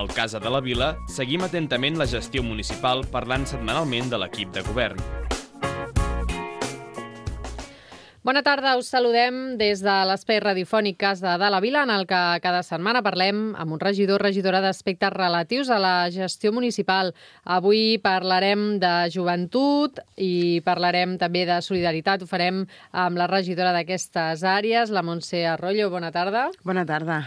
Al Casa de la Vila seguim atentament la gestió municipal parlant setmanalment de l'equip de govern. Bona tarda, us saludem des de l'espai radiofònic Casa de la Vila, en el que cada setmana parlem amb un regidor o regidora d'aspectes relatius a la gestió municipal. Avui parlarem de joventut i parlarem també de solidaritat. Ho farem amb la regidora d'aquestes àrees, la Montse Arroyo. Bona tarda. Bona tarda.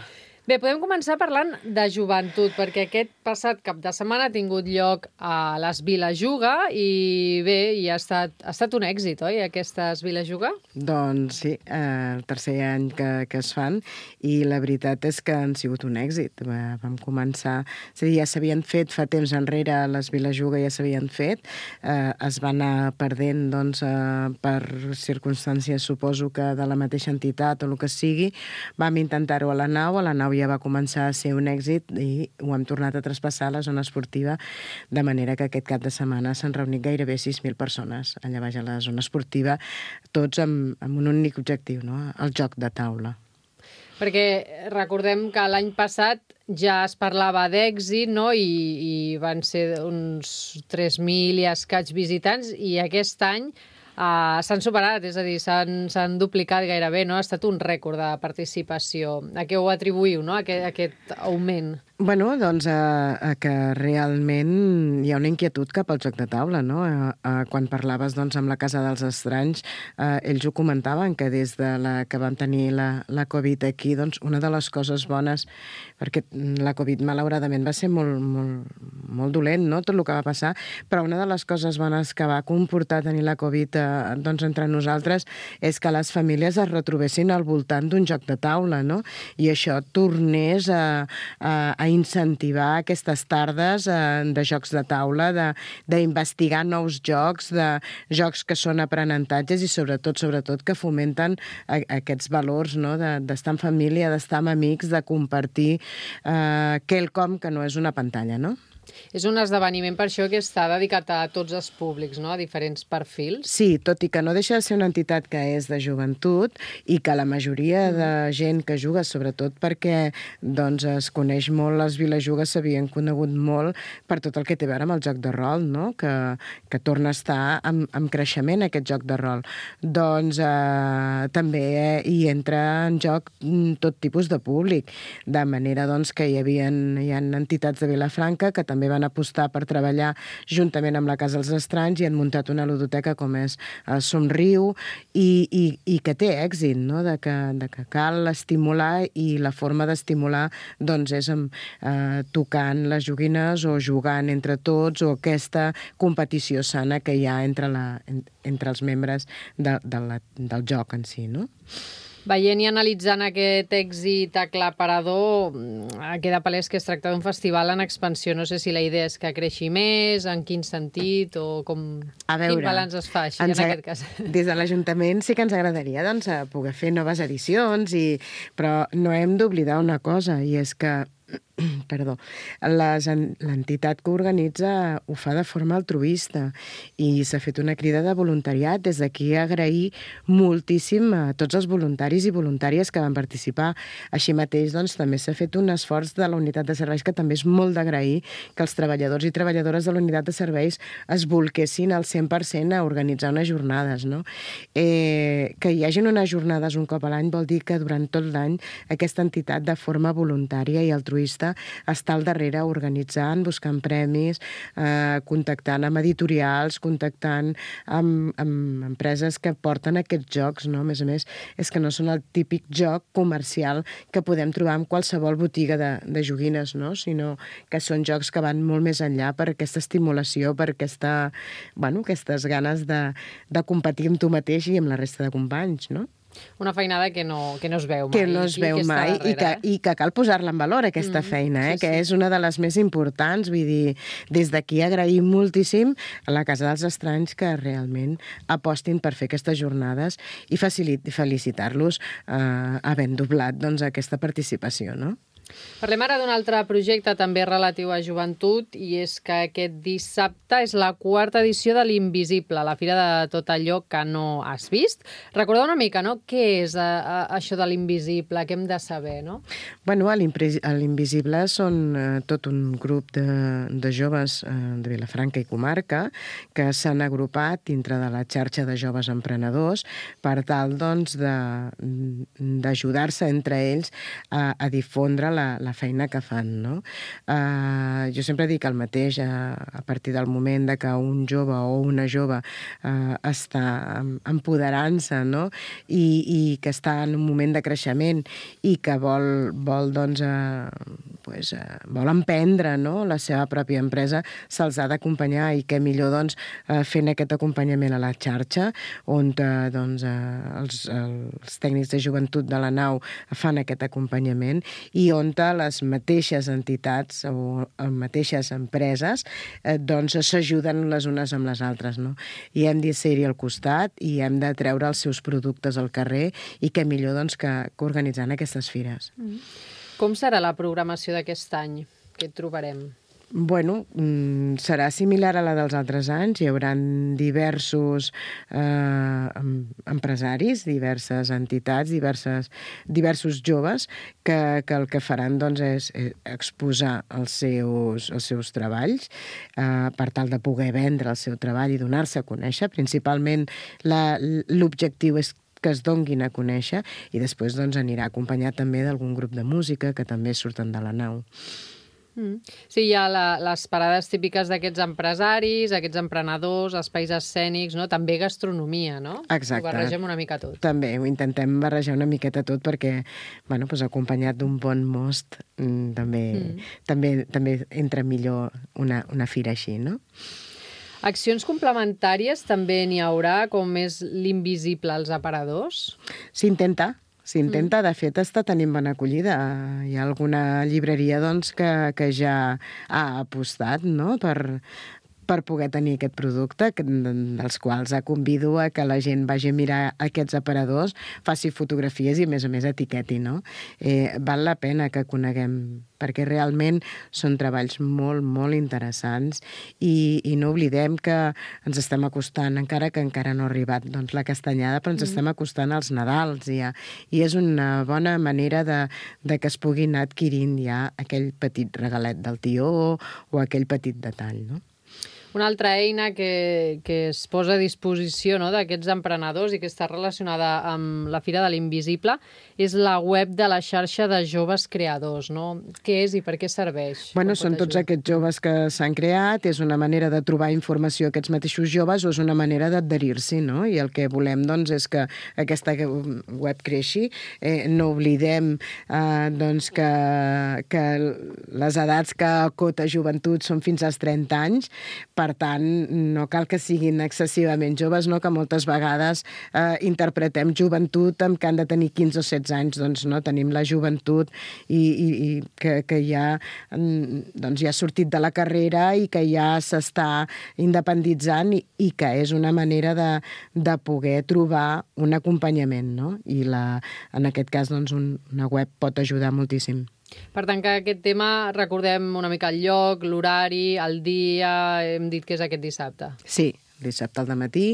Bé, podem començar parlant de joventut, perquè aquest passat cap de setmana ha tingut lloc a les Vilajuga i bé, i ha estat un èxit, oi, aquestes Vilajuga? Doncs sí, el tercer any que es fan i la veritat és que han sigut un èxit. Vam començar, és a dir, ja s'havien fet fa temps enrere, les Vilajuga ja s'havien fet, es van anar perdent doncs, per circumstàncies, suposo que de la mateixa entitat o el que sigui. Vam intentar-ho a la nau ja va començar a ser un èxit i ho hem tornat a traspassar a la zona esportiva, de manera que aquest cap de setmana s'han reunit gairebé 6.000 persones allà baix a la zona esportiva, tots amb un únic objectiu, no? El joc de taula. Perquè recordem que l'any passat ja es parlava d'èxit, no? I van ser uns 3.000 i escaig visitants, i aquest any s'han superat, és a dir, s'han duplicat gairebé, no? Ha estat un rècord de participació. A què ho atribuïu, no? Aquest augment? Bueno, doncs a que realment hi ha una inquietud cap al joc de taula, no? Quan parlaves doncs, amb la Casa dels Estranys, ells ho comentaven, que des de que vam tenir la Covid aquí, doncs una de les coses bones, perquè la Covid malauradament va ser molt dolent, no?, tot el que va passar, però una de les coses bones que va comportar tenir la Covid doncs, entre nosaltres és que les famílies es retrobessin al voltant d'un joc de taula, no? I això tornés a incentivar aquestes tardes de jocs de taula, d'investigar nous jocs, de jocs que són aprenentatges i sobretot que fomenten aquests valors, no? D'estar en família, d'estar amb amics, de compartir quelcom que no és una pantalla, no? És un esdeveniment per això que està dedicat a tots els públics, no?, a diferents perfils. Sí, tot i que no deixa de ser una entitat que és de joventut i que la majoria de gent que juga, sobretot perquè doncs, es coneix molt, les Vilajugues s'havien conegut molt per tot el que té a veure amb el joc de rol, no?, que torna a estar en creixement aquest joc de rol. Doncs també hi entra en joc tot tipus de públic, de manera doncs, que hi ha entitats de Vilafranca que també van apostar per treballar juntament amb la Casa dels Estranys i han muntat una ludoteca com és Somriu i que té èxit, no? De que cal estimular, i la forma d'estimular doncs, és tocant les joguines o jugant entre tots, o aquesta competició sana que hi ha entre els membres del joc en si, no? Veient i analitzant aquest èxit aclaparador, queda palès que es tracta d'un festival en expansió. No sé si la idea és que creixi més, en quin sentit, o com... Quin balanç es fa, així, en aquest cas? Des de l'Ajuntament sí que ens agradaria doncs, poder fer noves edicions, però no hem d'oblidar una cosa, i és que l'entitat que organitza ho fa de forma altruista i s'ha fet una crida de voluntariat. Des d'aquí agrair moltíssim a tots els voluntaris i voluntàries que van participar. Així mateix, doncs, també s'ha fet un esforç de la unitat de serveis que també és molt d'agrair, que els treballadors i treballadores de la unitat de serveis es bolquessin al 100% a organitzar unes jornades, no? Que hi hagin unes jornades un cop a l'any vol dir que durant tot l'any aquesta entitat de forma voluntària i altruista està al darrere organitzant, buscant premis, contactant amb editorials, contactant amb empreses que porten aquests jocs, no? A més, és que no són el típic joc comercial que podem trobar en qualsevol botiga de joguines, no? Sinó que són jocs que van molt més enllà per aquesta estimulació, per aquestes ganes de competir amb tu mateix i amb la resta de companys, no? Una feinada que no es veu mai. Que no es veu mai i que cal posar-la en valor, aquesta feina, que és una de les més importants. Vull dir, des d'aquí agraïm moltíssim a la Casa dels Estranys que realment apostin per fer aquestes jornades i felicitar-los havent doblat doncs, aquesta participació, no? Parlem ara d'un altre projecte també relatiu a joventut i és que aquest dissabte és la 4ª edició de l'Invisible, la fira de tot allò que no has vist. Recordeu una mica, no?, què és això de l'Invisible, què hem de saber, no? Bueno, a l'Invisible són tot un grup de joves de Vilafranca i comarca que s'han agrupat dintre de la xarxa de joves emprenedors per tal, doncs, d'ajudar-se entre ells a difondre la feina que fan, no? Jo sempre dic el mateix, a partir del moment de que un jove o una jove està empoderant-se, no?, i que està en un moment de creixement i que vol doncs, vol emprendre, no?, la seva pròpia empresa, se'ls ha d'acompanyar, i què millor, doncs, fent aquest acompanyament a la xarxa, on doncs, els tècnics de joventut de la nau fan aquest acompanyament i on les mateixes entitats o mateixes empreses doncs s'ajuden les unes amb les altres, no? I hem de ser-hi al costat i hem de treure els seus productes al carrer i què millor, doncs, que organitzant aquestes fires. Com serà la programació d'aquest any? Què et trobarem? Bueno, serà similar a la dels altres anys. Hi haurà diversos empresaris, diverses entitats, diversos joves que el que faran, doncs, és exposar els seus treballs per tal de poder vendre el seu treball i donar-se a conèixer. Principalment l'objectiu és que es donguin a conèixer i després, doncs, anirà acompanyat també d'algun grup de música que també surten de la nau. Sí, hi ha les parades típiques d'aquests empresaris, aquests emprenedors, espais escènics, no? També gastronomia, no? Exacte. Ho barregem una mica tot. També, ho intentem barrejar una miqueta tot perquè, bueno, doncs, acompanyat d'un bon most també entra millor una fira així, no? Accions complementàries també n'hi haurà, com és l'Invisible als aparadors? S'intenta, de fet, està tenint bona acollida. Hi ha alguna llibreria, doncs, que ja ha apostat, no?, per poder tenir aquest producte, dels quals convido a que la gent vagi a mirar aquests aparadors, faci fotografies i, a més, etiqueti, no? Val la pena que coneguem, perquè realment són treballs molt, molt interessants i no oblidem que ens estem acostant, encara que encara no ha arribat, doncs, la castanyada, però ens estem acostant als Nadals ja, i és una bona manera de que es pugui anar adquirint ja aquell petit regalet del tió o aquell petit detall, no? Una altra eina que es posa a disposició, no?, d'aquests emprenedors i que està relacionada amb la Fira de l'Invisible és la web de la xarxa de joves creadors, no? Què és i per què serveix? Bueno, són tots aquests joves que s'han creat, és una manera de trobar informació a aquests mateixos joves o és una manera d'adherir-s'hi, no? I el que volem, doncs, és que aquesta web creixi. No oblidem, doncs, que les edats que acota joventut són fins als 30 anys, per tant, no cal que siguin excessivament joves, no?, que moltes vegades interpretem joventut amb que han de tenir 15 o 16 anys, doncs no, tenim la joventut i que ja ha sortit de la carrera i que ja s'està independitzant i que és una manera de poder trobar un acompanyament, no? I en aquest cas, doncs, una web pot ajudar moltíssim. Per tant, que aquest tema, recordem una mica el lloc, l'horari, el dia, hem dit que és aquest dissabte. Sí, dissabte al dematí,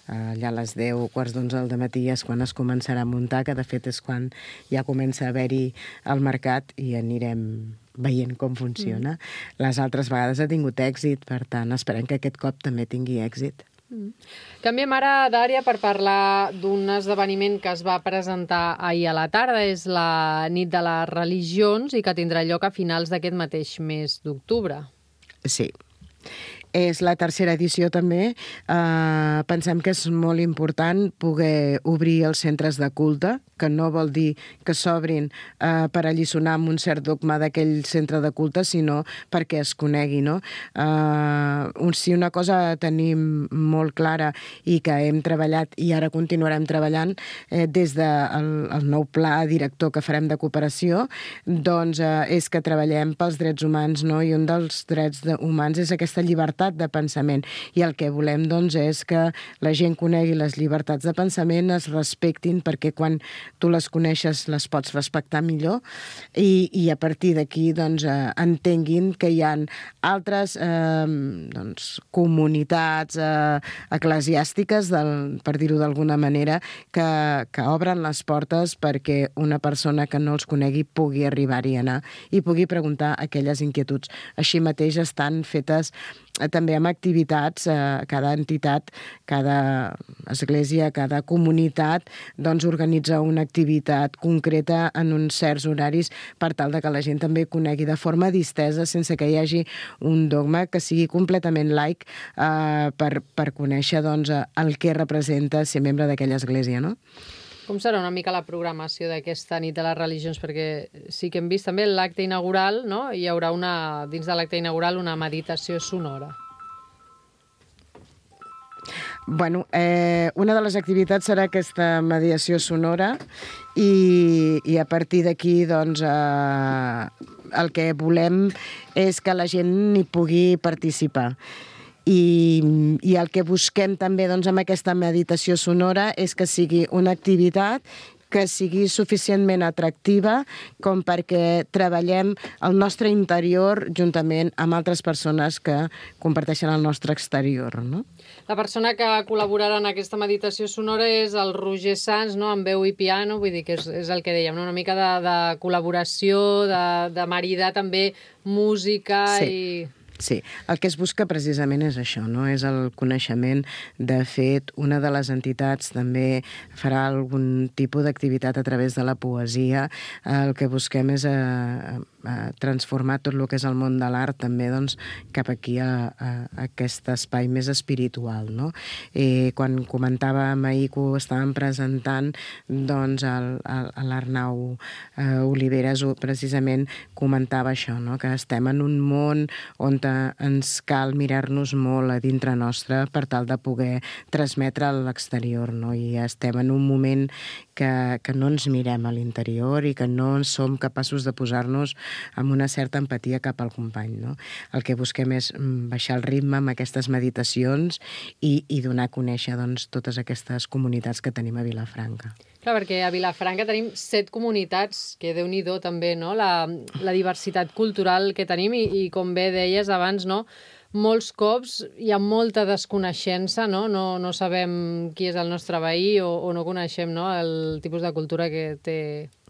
allà a les 10, quarts d'11 del dematí és quan es començarà a muntar, que de fet és quan ja comença a haver-hi el mercat i anirem veient com funciona. Les altres vegades ha tingut èxit, per tant, esperem que aquest cop també tingui èxit. Canviem ara d'àrea per parlar d'un esdeveniment que es va presentar ahir a la tarda. És la Nit de les Religions i que tindrà lloc a finals d'aquest mateix mes d'octubre. Sí. És la tercera edició també. Pensem que és molt important poder obrir els centres de culte, que no vol dir que s'obrin per alliçonar amb un cert dogma d'aquell centre de culte, sinó perquè es conegui, no? Si una cosa tenim molt clara i que hem treballat i ara continuarem treballant des del nou pla director que farem de cooperació, doncs és que treballem pels drets humans, no? I un dels drets humans és aquesta llibertat llibertat de pensament. I el que volem, doncs, és que la gent conegui les llibertats de pensament, es respectin, perquè quan tu les coneixes les pots respectar millor i a partir d'aquí doncs, entenguin que hi ha altres comunitats eclesiàstiques, per dir-ho d'alguna manera, que obren les portes perquè una persona que no els conegui pugui arribar-hi a anar i pugui preguntar aquelles inquietuds. Així mateix estan fetes també amb activitats, cada entitat, cada església, cada comunitat, doncs organitza una activitat concreta en uns certs horaris per tal de que la gent també conegui de forma distesa, sense que hi hagi un dogma, que sigui completament laic per conèixer doncs, el que representa ser membre d'aquella església, no? Com serà una mica la programació d'aquesta nit de les religions? Perquè sí que hem vist també l'acte inaugural, no? Hi haurà dins de l'acte inaugural una meditació sonora. Bueno, una de les activitats serà aquesta mediació sonora i a partir d'aquí doncs, el que volem és que la gent hi pugui participar. I el que busquem també doncs, amb aquesta meditació sonora és que sigui una activitat que sigui suficientment atractiva com perquè treballem el nostre interior juntament amb altres persones que comparteixen el nostre exterior, no? La persona que col·laborarà en aquesta meditació sonora és el Roger Sans, no? Amb veu i piano, vull dir que és el que dèiem, no? Una mica de col·laboració, de maridar també música i... Sí, el que es busca precisament és això, no? És el coneixement. De fet, una de les entitats també farà algun tipus d'activitat a través de la poesia. El que busquem és transformar tot el que és el món de l'art també doncs, cap aquí a aquest espai més espiritual, no? Quan comentàvem ahir que ho estàvem presentant, doncs l'Arnau Oliveres precisament comentava això, no? Que estem en un món on ens cal mirar-nos molt a dintre nostre per tal de poder transmetre a l'exterior, no? I estem en un moment que no ens mirem a l'interior i que no som capaços de posar-nos amb una certa empatia cap al company, no? El que busquem és baixar el ritme amb aquestes meditacions i donar a conèixer doncs, totes aquestes comunitats que tenim a Vilafranca. Clar, perquè a Vilafranca tenim 7 comunitats, que Déu-n'hi-do també, no? La diversitat cultural que tenim i com bé deies abans, no? Molts cops hi ha molta desconeixença, no? No sabem qui és el nostre veí o no coneixem, no? El tipus de cultura que té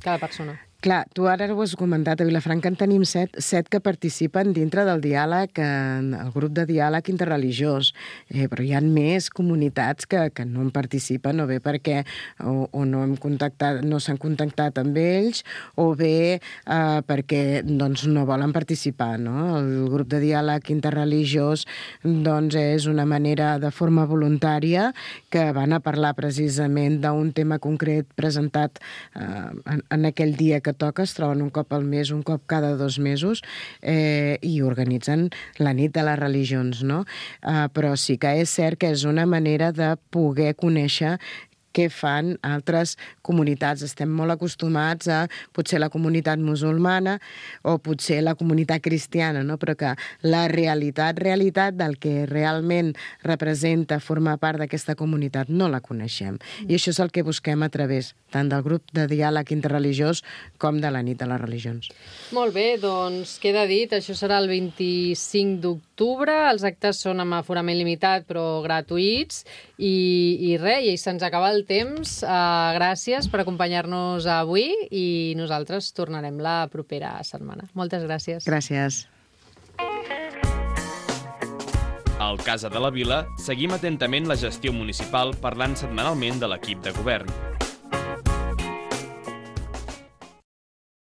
cada persona. Clar, tu ara ho has comentat, a Vilafranca en tenim 7 que participen dintre del diàleg, el grup de diàleg interreligiós, però hi ha més comunitats que no en participen, o bé perquè o no s'han contactat amb ells, o bé perquè doncs, no volen participar, no? El grup de diàleg interreligiós doncs, és una manera de forma voluntària que van a parlar precisament d'un tema concret presentat en aquell dia que toca, es troben un cop al mes, un cop cada 2 mesos, i organitzen la nit de les religions, no? Però sí que és cert que és una manera de poder conèixer què fan altres comunitats. Estem molt acostumats a potser la comunitat musulmana o potser la comunitat cristiana, no? Però que la realitat del que realment representa formar part d'aquesta comunitat no la coneixem. I això és el que busquem a través tant del grup de diàleg interreligiós com de la nit de les religions. Molt bé, doncs queda dit, això serà el 25 d'octubre, els actes són amb aforament limitat però gratuïts i res, i se'ns acaba el temps. Gràcies per acompanyar-nos avui i nosaltres tornarem la propera setmana. Moltes gràcies. Gràcies. Al Casa de la Vila seguim atentament la gestió municipal parlant setmanalment de l'equip de govern.